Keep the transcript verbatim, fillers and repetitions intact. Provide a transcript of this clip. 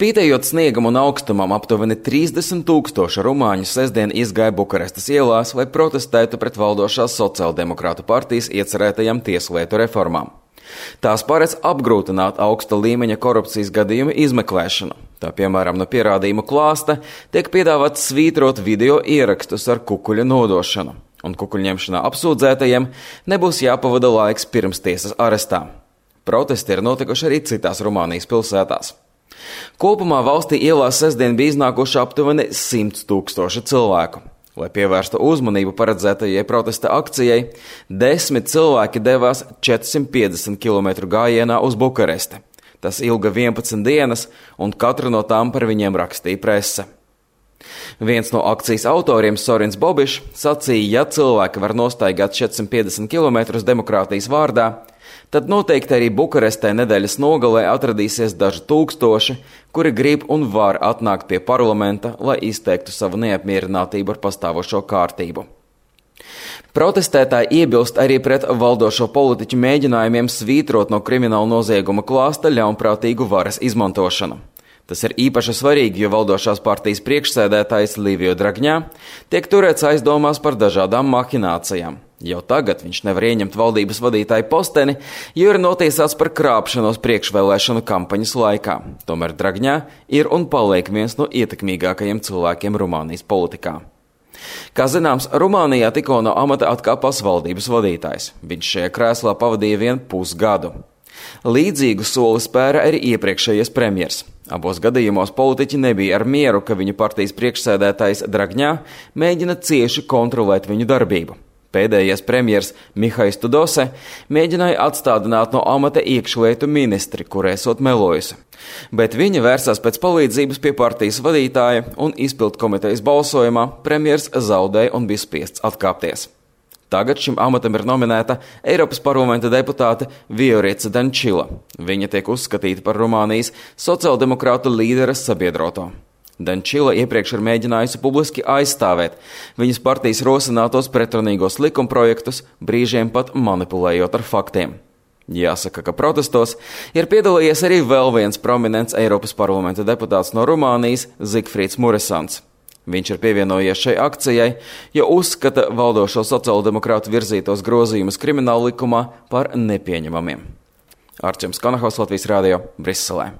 Spītējot sniegam un augstumam, aptuveni trīsdesmit tūkstoši rumāņu sestdien izgāja Bukarestas ielās, lai protestētu pret valdošās sociāldemokrātu partijas iecerētajām tieslietu reformām. Tās paredz apgrūtināt augsta līmeņa korupcijas gadījumu izmeklēšanu. Tā piemēram, no pierādījumu klāsta tiek piedāvāts svītrot video ierakstus ar kukuļa nodošanu, un kukuļņemšanā apsūdzētajiem nebūs jāpavada laiks pirms tiesas arestā. Protesti ir notikuši arī citās Rumānijas pilsētās. Kopumā valstī ielās sestdien bija iznākuši aptuveni simts tūkstoši cilvēku. Lai pievērstu uzmanību paredzētajai protesta akcijai, desmit cilvēki devās četrsimt piecdesmit kilometru gājienā uz Bukaresti. Tas ilga vienpadsmit dienas, un katru no tām par viņiem rakstīja prese. Viens no akcijas autoriem, Sorins Bobišs, sacīja, ja cilvēki var nostaigāt četrsimt piecdesmit kilometrus demokrātijas vārdā, tad noteikti arī Bukarestē nedēļas nogalē atradīsies daži tūkstoši, kuri grib un var atnākt pie parlamenta, lai izteiktu savu neapmierinātību ar pastāvošo kārtību. Protestētāji iebilst arī pret valdošo politiķu mēģinājumiem svītrot no krimināla nozieguma klāsta ļaunprātīgu varas izmantošanu. Tas ir īpaši svarīgi, jo valdošās partijas priekšsēdētājs Livio Dragņā tiek turēts aizdomās par dažādām mahinācijām. Jau tagad viņš nevar ieņemt valdības vadītāju posteni, jo ir notiesāts par krāpšanos priekšvēlēšanu kampaņas laikā. Tomēr Dragņā ir un paliek viens no ietekmīgākajiem cilvēkiem Rumānijas politikā. Kā zināms, Rumānijā tikko no amata atkāpās valdības vadītājs. Viņš šajā krēslā pavadīja vien pusgadu. Līdzīgu soli spēra arī iepriekšējais premjers. Abos gadījumos politiķi nebija ar mieru, ka viņu partijas priekšsēdētājs Dragņā mēģina cieši kontrolēt viņu darbību. Pēdējais premjers Mihais Tudose mēģināja atstādināt no amata iekšlietu ministri, kur esot melojusi. Bet viņa vērsās pēc palīdzības pie partijas vadītāja un izpildu komitejas balsojumā premjers zaudēja un bija spiests atkāpties. Tagad šim amatam ir nominēta Eiropas parlamenta deputāte Viorica Dančila. Viņa tiek uzskatīta par Rumānijas sociāldemokrātu līderes sabiedroto. Dančila iepriekš ir mēģinājusi publiski aizstāvēt viņas partijas rosinātos pretrunīgos likumprojektus, brīžiem pat manipulējot ar faktiem. Jāsaka, ka protestos ir piedalījies arī vēl viens prominents Eiropas parlamenta deputāts no Rumānijas Zigfrīds Muresans. Viņš ir pievienojies šai akcijai, jo uzskata valdošo sociāldemokrātu virzītos grozījumus krimināla likumā par nepieņemamiem. Arčuns Konahaus, Latvijas Rādio, Briselē.